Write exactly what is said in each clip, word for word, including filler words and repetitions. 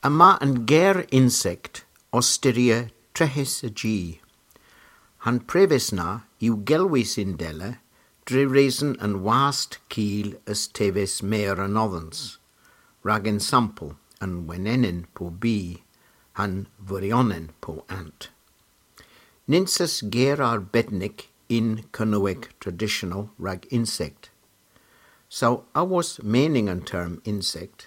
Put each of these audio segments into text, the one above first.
Yma an ger insekt ow styrya treghes a ji. Ha'n preves na yw gelwys yndella dre reson an wast kil a's teves mer anodhans, rag ensampel an wenenen po bi, ha'n vuryonen po ant. Nyns eus ger arbednik yn Kernewek tradisyonel rag insekt. Saw awos mening an term insekt,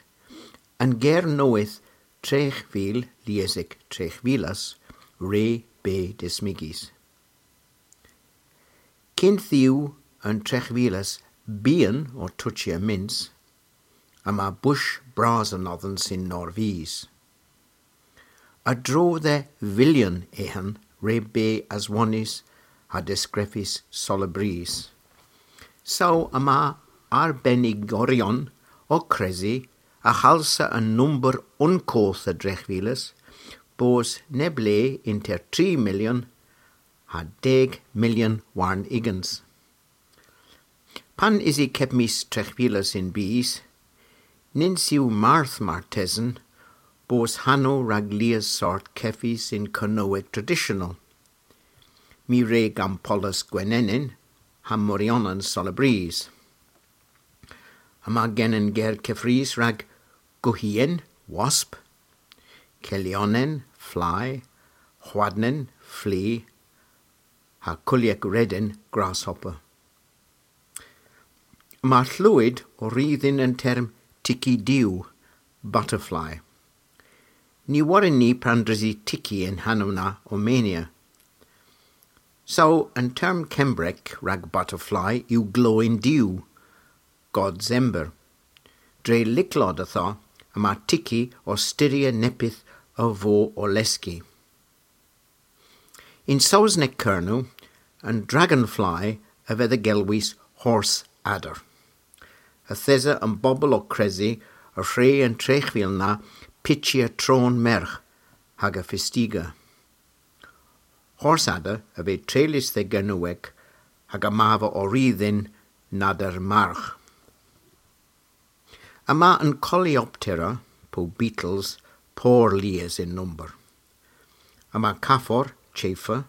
an ger nowydh tregh vil, liesek tregh vilas, re beu dismygys. Kynth yw an tregh vilas byghan ow tochya myns, yma bush bras anodhans yn Norvys. A-dro dhe vilyon eghen re beu aswonnys ha deskrifys solabrys. Saw yma arbenigoryon ow kresi a halsa an nomber unn koth a dregh vilas bos neb le ynter tri milyon ha deg milyon warn ugens. Pan ysi kepmys tregh vilas y'n bys, nyns yw marth martesen bos hanow rag lies sort kevys yn Kernewek tradisyonel. My re gampolas gwenenen ha muryonen solabrys. Yma genen ger keffrys rag guhyen, wasp, kelyonen, fly, hwadnen, flea, ha kulyek redyn, grasshopper. Yma Llwyd ow ri dhyn an term tiki diw, butterfly. Ny worren ni pandresi tiki an hanow na ow menia. Saw an term Kembrek rag butterfly yw gloyn diw, God's ember. Dre lycklod ytho yma tiki ow styrya neppyth a vo ow leski. Yn Sowsnek Kernow, an dragonfly a veu gelwys horse adder. Yth esa an bobel ow kresi y hwre an tregh vil na pychya tron mergh hag aga fystiga. Horse adder a veu treylys dhe Gernewek hag yma ow ri dhyn nader margh. Yma an Coleoptera po beetles pur lies yn nomber. Yma kafor, chafer,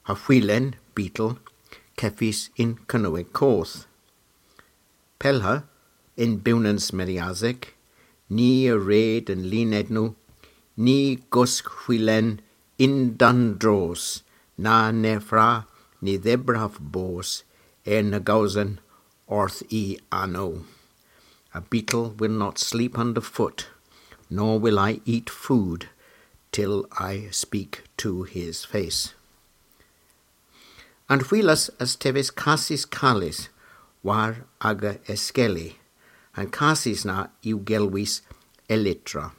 ha hwilen, beetle, kevys yn Kernewek koth. Pellha, yn bewnans meriasek, ni a red an linednow, ni gosk hwilen yn-dann dros, na neffra, ni dhebrav bos, er na gowsen, orth y anow. A beetle will not sleep underfoot, nor will I eat food till I speak to his face. An hwilas a's teves kasys kales war aga eskelli, an kasys na yw gelwys elytra.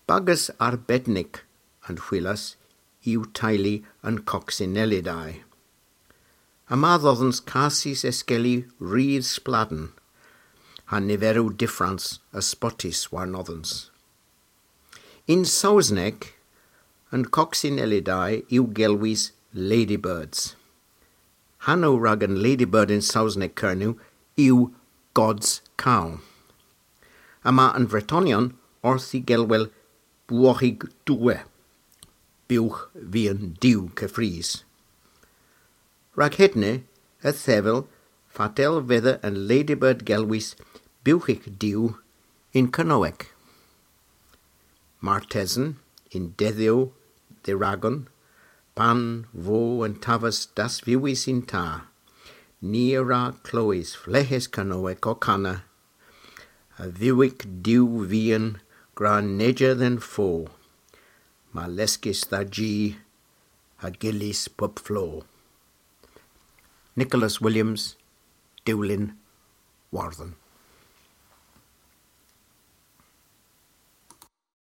Bagas arbednik an hwilas yw teylu an Coccinellidae. Yma dhodhans kasys eskelli ri spladhen, ha niverow dyffrans a spotys warnodhans. Yn Sowsnek, an Coccinellidae yw gelwys ladybirds. Hanow rag an ladybird yn Sowsnek Kernow yw God's cow. Yma an Vretonyon orth y gelwel bwoghig doue, bugh vian diw keffrys. Rag hedna, y thevel fatel veu an ladybird gelwys bughyk diw yn Kernewek. Martesen, yn dedhyow dhe ragon, pan vo an taves dasvyewys yn ta, ni a wra klewes fleghes Kernewek ow kana, a vughyk diw vian gra neja dhe'n fo, ma leskis dha ji, ha gyllys pub flo. Nicholas Williams, Dewlin Wardhen.